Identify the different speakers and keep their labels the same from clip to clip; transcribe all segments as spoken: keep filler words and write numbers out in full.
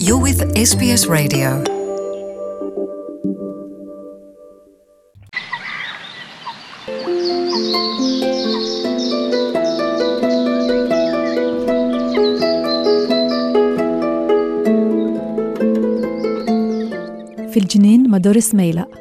Speaker 1: You're with S B S Radio.
Speaker 2: Fil-ġnien ma' Doris Mejlaq.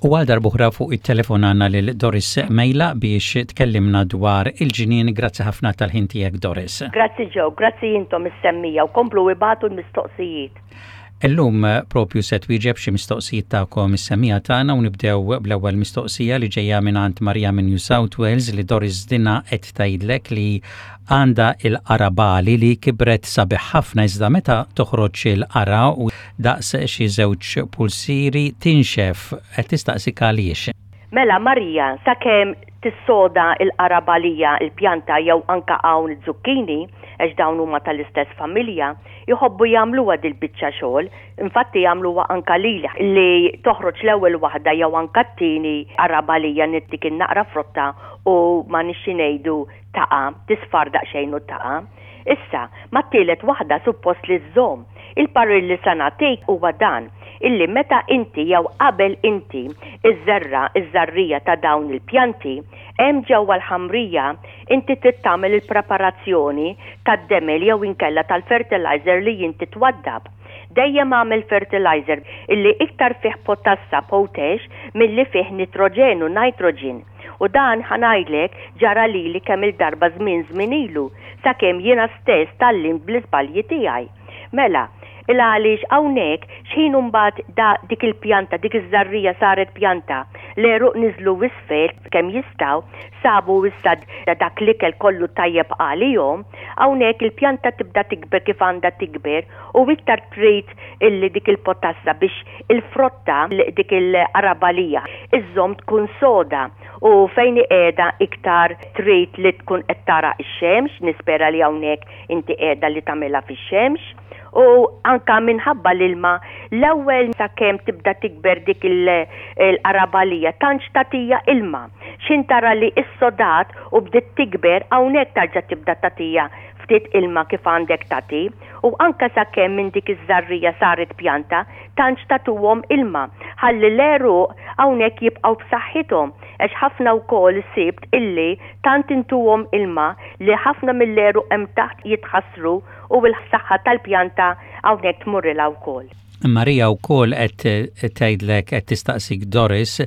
Speaker 3: U għal darb'oħra fuq it-telefon għandna lil Doris Mejlaq biex tkellimna dwar il-ġnien. Grazzi ħafna tal-ħin tiegħek, Doris.
Speaker 4: Grazzi Joe, grazzi intom is-semmiegħa u komplu ibagħtu l-mistoqsijiet.
Speaker 3: Illum propju se twieġeb xi mistoqsijiet tagħkom is-semmiegħa tagħna u nibdew bl-ewwel mistoqsija li ġejja mingħand Marija minn New South Wales, li Doris dina qed tgħidlek li għandha il-qarabagħli li kibret sabiħ ħafna, iżda meta toħroġ il-qara u daqs xi żewġ pulsiri tinxef. Qed tistaqsik għaliex.
Speaker 4: Mela Marija, sakemm tissoda il-qarabalija, il-pjanta jew anka hawn il-zucchini, għax dawn huma tal-istess familja, jħobbu jagħmluha dil-biċċa xogħol, infatti jagħmluha anka lili li toħroġ l-ewwel waħda jew anka t-tieni qarabalija nittik in-naqra frotta u ma nixxi ngħidu taqa', tisfar daqsxejn u taqa'. Issa, mat-tielet waħda suppost li żżomm. Il-parir li sa nagħtik huwa dan, illi meta inti jew qabel inti iżżerra iż-żarrija ta' dawn il-pjanti, hemm ġewwa l-ħamrija inti trid tagħmel il-preparazzjoni tad-demel jew inkella tal-fertilizer li inti twaddab. Dejjem għamel fertilizer illi iktar fih potassa, potash, milli fih nitroġenu, nitrogen. U dan ħa ngħidlek ġara lili kemm il-darba żmien żmien ilu, sakemm jiena stess tgħallimt bl-iżbalji tiegħi. Mela, il għaliex hawnhekk x'ħin mbagħad da dik il-pjanta, dik iż-żarrija saret pjanta, l-għeruq niżlu isfel kemm jistgħu, sabu issa dak l-ikel kollu tajjeb għalihom, hawnhekk il-pjanta tibda tikber kif għandha tikber u iktar trid illi dik il-potassa biex il-frotta, dik il-qarabalija, iżżomm tkun soda u fejn qiegħda iktar trid li tkun qed tara x-xemx, nispera li hawnhekk inti qiegħda li tagħmilha fix-xemx. U anka minħabba l-ilma, l-ewwel sakemm tibda tikber dik il-qarabalija tantx tagħtiha ilma. X'ħin tara li s-sodat u bdiet tikber, hawnhekk tarġa' tibda tagħtiha ftit ilma kif għandek tagħti, u anka sakemm minn dik iż-żarrija saret pjanta tantx tagħtuhom ilma. Ħalli l-għeruq hawnhekk jibqgħu b'saħħithom, għax ħafna wkoll sibt illi tant intuhom ilma li ħafna mill-għeruq hemm taħt jitħassru u l-saħħa tal-pjanta hawnhekk tmurrilha wkoll.
Speaker 3: Marija wkoll qed tgħidlek, qed tistaqsik Doris,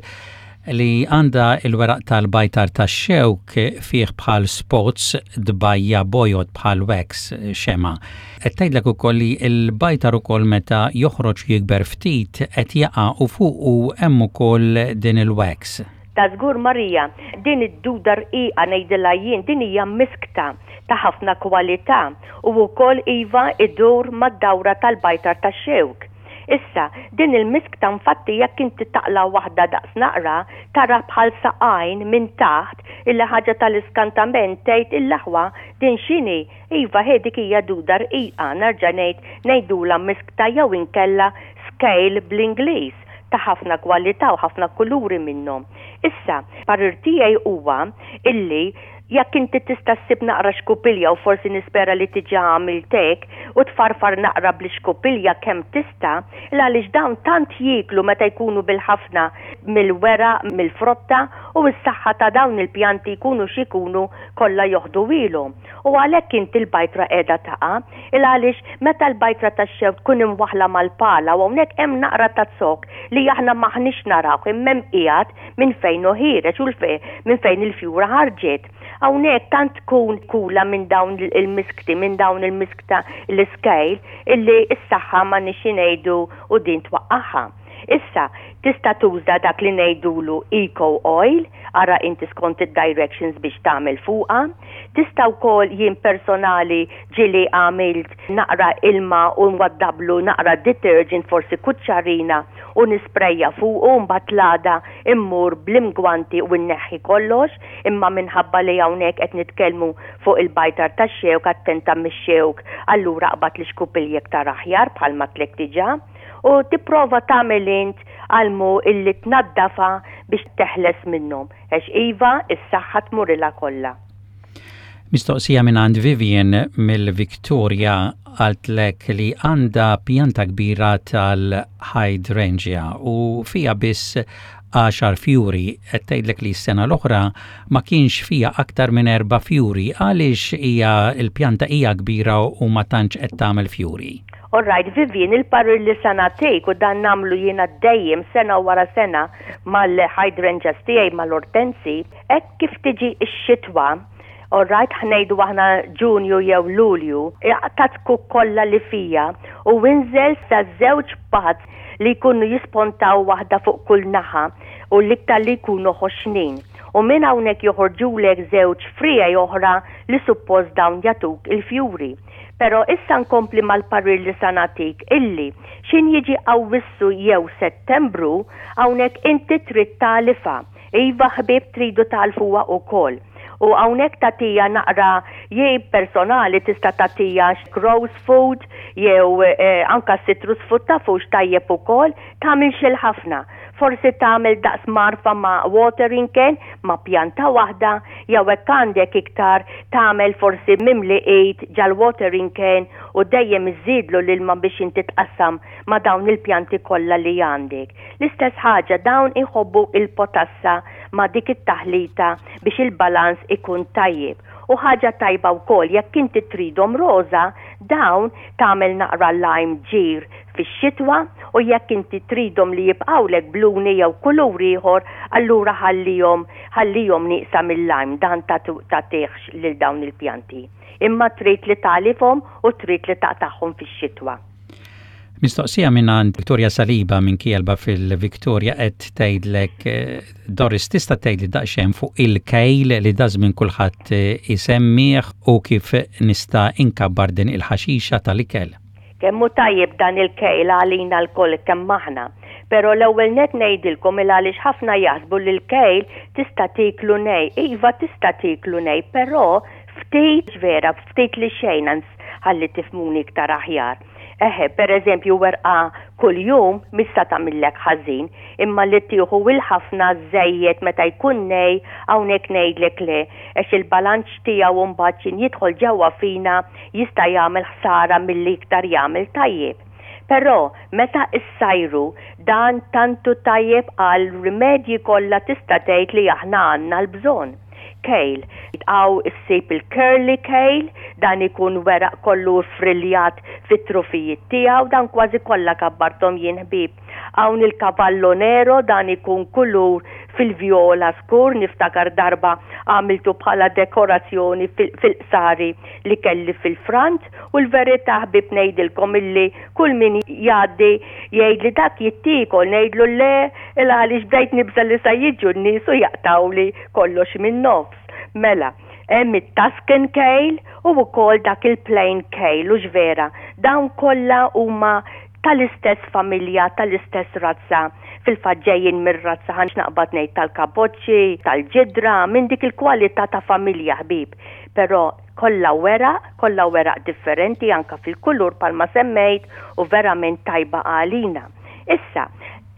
Speaker 3: li għandha il-weraq tal-bajtar tax-xewk fih bħal spots dbajja bojod bħal wax, xema. Qed tgħidlek ukoll li l-bajtar ukoll meta joħroġ jikber ftit qed jaqa' u fuq u hemm ukoll din il-wax.
Speaker 4: Ta' żgur Marija, din id-duda rqiqa ngħidilha jien, din hija miskta ta' ħafna kwalità u wkoll iva idur mad-dawra tal-bajtar tax-xewk. Issa, din il-miskta infatti jekk inti taqla waħda daqs naqra, tara bħal saqajn minn taħt, illi ħaġa tal-iskantament, tgħid il-laħwa din x'inhi? Iva, he dik hija duda rqiqa, nerġa' ngħid ngħidula miskta jew inkella scale bl-Ingliż, ta' ħafna kwalità u ħafna kuluri minnhom. Issa, parir tiegħi huwa illi jekk inti tista' ssib naqra xkupilja, u forsi nispera li diġà għamilt hekk, u tfarfar naqra bl-xkupilja kemm tista', għaliex dawn tant jieklu meta jkunu bil-ħafna mill-weraq, mill-frotta, u s-saħħa ta' dawn il-pjanti jkunu x'ikunu kollha joħdu ilhom. U għalhekk inti l-bajtra qiegħda taqa', il għaliex meta l-bajtra tax-xewk tkun imwaħla mal-pala u hawnhekk hemm naqra ta' zokk li aħna m'aħniex narawh imma hemm qiegħed minn fejn hu ħiereġ u minn fejn il-fjura ħarġet. Hawnhekk tant tkun kula minn dawn il-miskti, minn dawn il-miskta l-iskejl, illi s-saħħa ma nixi ngħidu u din twaqqaħħa. Issa, tista' tuża dak li ngħidulu eco oil, ara inti skont id-directions biex tagħmel fuqha. Tista' wkoll jien personali ġieli għamilt naqra ilma u nwaddablu naqra detergent, forsi kuċċarina, u nisprejja fuqu, u mbagħad l-għada immur bl-imgwanti u nneħħi kollox, imma minħabba li hawnhekk qed nitkellmu fuq il-bajtar tax-xewk, attenta mix-xewk, allura qbad l-ixkupilja iktar aħjar bħalma tlek diġà. U tipprova tagħmel int għalmu illi tnaddafa biex teħles minnhom. Għax iva, is-saħħa tmurilha kollha.
Speaker 3: Mistoqsija minn għand Vivian mill-Victoria, qaltlek li għandha pjanta kbira tal-hydrangea u fija biss għaxar fjuri. Qed tgħidlek li s-sena l-oħra ma kienx fija aktar minn erba' fjuri. Għaliex hija l-pjanta hija kbira u ma tantx qed tagħmel fjuri?
Speaker 4: All right, Vivian, il-parir li sa nagħtik, u dan nagħmlu jiena dejjem sena wara sena mal-hydrangeas tiegħi, mal-ortensi, hekk kif tiġi x-xitwa, all right, ħa ngħidu aħna Ġunju jew Lulju, aqta' z-zkuk kollha li fija u inżel sa żewġ buds li jkunu jispontaw, waħda fuq kull naħa u l-iktar li jkunu ħoxnin. U minn hawnhekk joħorġulek żewġ friegħi oħra li suppost dawn jagħtuk il-fjuri. Pero issa nkompli mal-parir li sa nagħtik, illi x'ħin jiġi Awwissu jew Settembru, hawnhekk inti trid tagħlifha. Iva ħbib, tridu tagħlfuha ukoll. U hawnhekk tagħtiha naqra, jien personali tista' tagħtiha rose food jew eh, anka citrus food, tafux tajjeb ukoll, tagħmilx il-ħafna. Forsi tagħmel daqs mgħarfa ma' watering can ma' pjanta waħda, jew hekk għandek iktar tagħmel forsi mimli id ġal-watering can u dejjem iżidlu l-ilma biex inti tqassam ma' dawn il-pjanti kollha li għandek. L-istess ħaġa, dawn iħobbu il-potassa ma' dik it-taħlita biex il-balans ikun tajjeb. U ħaġa tajba wkoll, jekk inti tridhom roża, dawn tagħmel naqra lime, ġir, fix-xitwa, u jekk inti tridhom li jibqgħulek bluni jew kulur ieħor, allura ħallihom ħallihom nieqsa mill-lime, dan tagħtihx lil dawn il-pjanti. Imma trid li tagħlifhom u trid li taqtagħhom fix-xitwa.
Speaker 3: Mistoqsija minn għand Victoria Saliba minn Kealba fil-Victoria, qed tgħidlek: eh, "Doris, tista' tgħidli daqsxejn fuq il-kale li dażżmien kulħadd eh, isemmih u kif nista' inkabbar din il-ħaxixa tal-ikel?"
Speaker 4: Kemm hu tajjeb dan il-kale għalina lkoll kemm aħna. Pero l-ewwel net ngħidilkom il għaliex ħafna jaħsbu li l-kale tista' tiklu nej. Iva, tista' tiklu nej, però ftit vera, ftit li xejn, ħalli tifhmuni iktar aħjar. Eħe, per eżempju, werqa kull-jum mista tagħmillek ħażin, imma li tieħu il-ħafna żejjed meta jkun nej, hawnhekk ngħidlek le, għax il-balanċ tiegħu mbagħad x'ħin jidħol ġewwa fina jista' jagħmel ħsara milli iktar jagħmel tajjeb. Però meta issajru, dan tantu tajjeb għal rimedji kollha tista' tgħid li aħna għandna l-bżonn. Kale. Hawn issib il-curly kale, dan ikun weraq kollu friljat fit-trufijiet tiegħu, dan kważi kollha kabbartom jien ħbib. Hawn il-cavallo nero, dan ikun kulur fil-vjola skur, niftakar darba għamiltu bħala dekorazzjoni fil-qsari li kelli fil-front, u l-verità ħbib ngħidilkom illi kull min jgħaddi jgħid li dak jittiekol, ngħidlu le, il għaliex bdejt nibża li sa jiġu n-nies u jaqtawli kollox minn nofs. Mela, hemm it-Tuscan kale u wkoll dak il-plain kale, u vera, dawn kollha huma tal-istess familja, tal-istess razza. Fil-fatt ġejjin mir-razza, ħa naqbad ngħid, tal-kaboċċi, tal-ġidra, minn dik il-kwalità ta' familja ħbib. Però kollha weraq, kollha weraq differenti anka fil-kulur bħalma semmejt, u verament tajba għalina. Issa,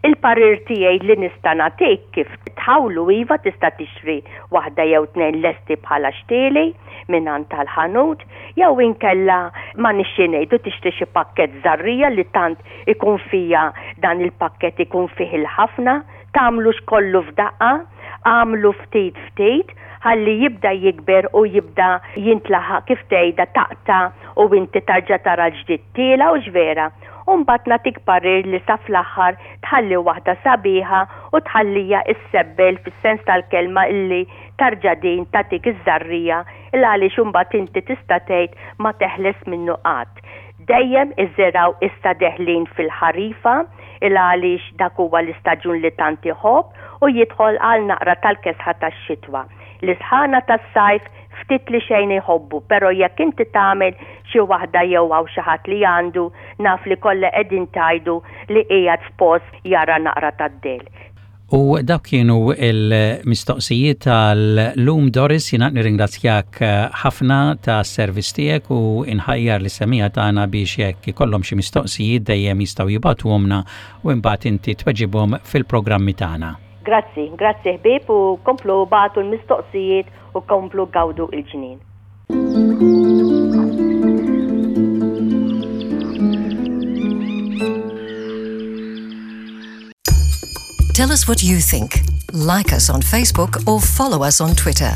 Speaker 4: il-parir tiegħi li nista' nagħtik kif tħawlu: iva, tista' tixtri waħda jew tnejn lesti bħala xtieli minn tal-ħanut, jew inkella ma nixxi ngħidu tixtri xi pakkett żerriegħa li tant ikun fija, dan il-pakkett ikun fih il-ħafna, tagħmlux kollu f'daqqa, għamlu ftit ftit ħalli jibda jikber u jibda jintlaħaq, kif tgħidha, taqta' u inti tarġa' tara l-ġdid tiela', u vera. U mbagħad nagħtik parir li sa fl-aħħar tħalli waħda sabiħa u tħallija issebbel fis-sens tal-kelma, illi tarġa' din tagħtik iż-żerriegħa, il għaliex imbagħad inti tista' tgħid ma teħles minnu qatt. Dejjem iżirgħu issa deħlin fil-ħarifa, il għaliex dak huwa l-istaġun li tant iħobb u jidħol għal naqra tal-kesħa tax-xitwa. L-isħana tas-sajf ftit li xejn iħobbu, pero jekk inti tagħmel xi waħda jew hawn xi ħadd li għandu, naf li kollha qegħdin tgħidu li qiegħed f'post jara naqra tad-dell.
Speaker 3: U dawk kienu il-mistoqsijiet tal-lum, Doris. Jiena nirringrazzjak ħafna tas-servizz tiegħek u inħajjar lis-semmiegħa tagħna biex jekk ikollhom xi mistoqsijiet dejjem jistgħu jibagħtuhomlna u imbagħad inti tweġibhom fil-programmi tagħna.
Speaker 4: Grazzi, grazzi ħbieb, u komplu ibagħtu l-mistoqsijiet u komplu gawdu il-ġnien.
Speaker 1: Tell us what you think. Like us on Facebook or follow us on Twitter.